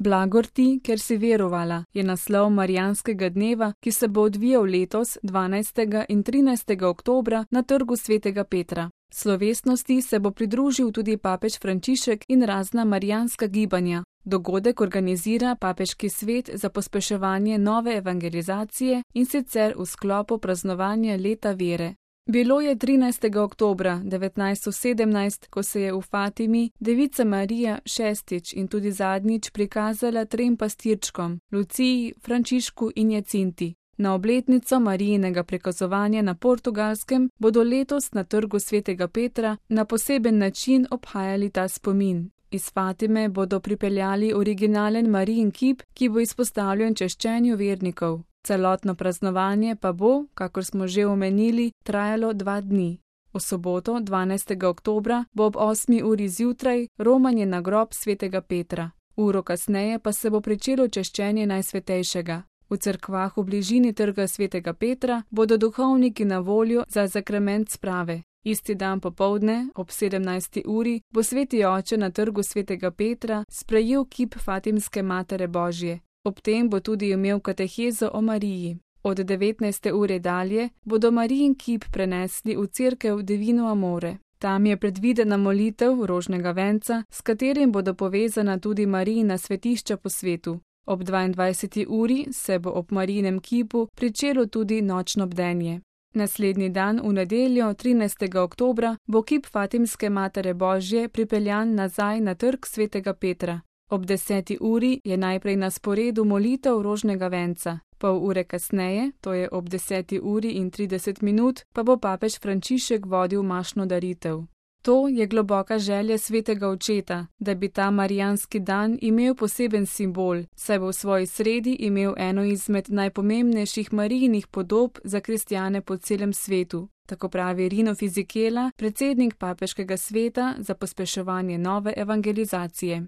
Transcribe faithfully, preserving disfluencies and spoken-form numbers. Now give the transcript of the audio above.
Blagor ti, ker si verovala, je naslov Marijanskega dneva, ki se bo odvijal letos dvanajstega in trinajstega oktobra na Trgu svetega Petra. Slovesnosti se bo pridružil tudi papež Frančišek in razna marijanska gibanja. Dogodek organizira Papeški svet za pospeševanje nove evangelizacije in sicer v sklopu praznovanja leta vere. Bilo je trinajstega oktobra devetnajststo sedemnajst, ko se je v Fatimi Devica Marija šestič in tudi zadnjič prikazala trem pastirčkom, Luciji, Frančišku in Jacinti. Na obletnico Marijinega prikazovanja na Portugalskem bodo letos na Trgu svetega Petra na poseben način obhajali ta spomin. Iz Fatime bodo pripeljali originalen Marijin kip, ki bo izpostavljen češčenju vernikov. Celotno praznovanje pa bo, kakor smo že omenili, trajalo dva dni. V soboto, dvanajstega oktobra, bo ob osmi uri zjutraj romanje na grob svetega Petra. Uro kasneje pa se bo pričelo češčenje Najsvetejšega. V cerkvah v bližini Trga svetega Petra bodo duhovniki na voljo za zakrament sprave. Isti dan popoldne, ob sedemnajsti uri, bo sveti oče na Trgu svetega Petra sprejel kip Fatimske Matere Božje. Ob tem bo tudi imel katehezo o Mariji. Od devetnajste ure dalje bodo Marijin kip prenesli v cerkev Divino Amore. Tam je predvidena molitev rožnega venca, s katerim bodo povezana tudi Marijina svetišča po svetu. Ob dvaindvajseti uri se bo ob Marijinem kipu pričelo tudi nočno bdenje. Naslednji dan, v nedeljo, trinajstega oktobra, bo kip Fatimske Matere Božje pripeljan nazaj na Trg svetega Petra. Ob deseti uri je najprej na sporedu molitev rožnega venca. Pol ure kasneje, to je ob deseti uri in trideset minut, pa bo papež Frančišek vodil mašno daritev. To je globoka želja svetega očeta, da bi ta marijanski dan imel poseben simbol, saj bo v svoji sredi imel eno izmed najpomembnejših Marijinih podob za kristjane po celem svetu. Tako pravi Rino Fisichella, predsednik Papeškega sveta za pospeševanje nove evangelizacije.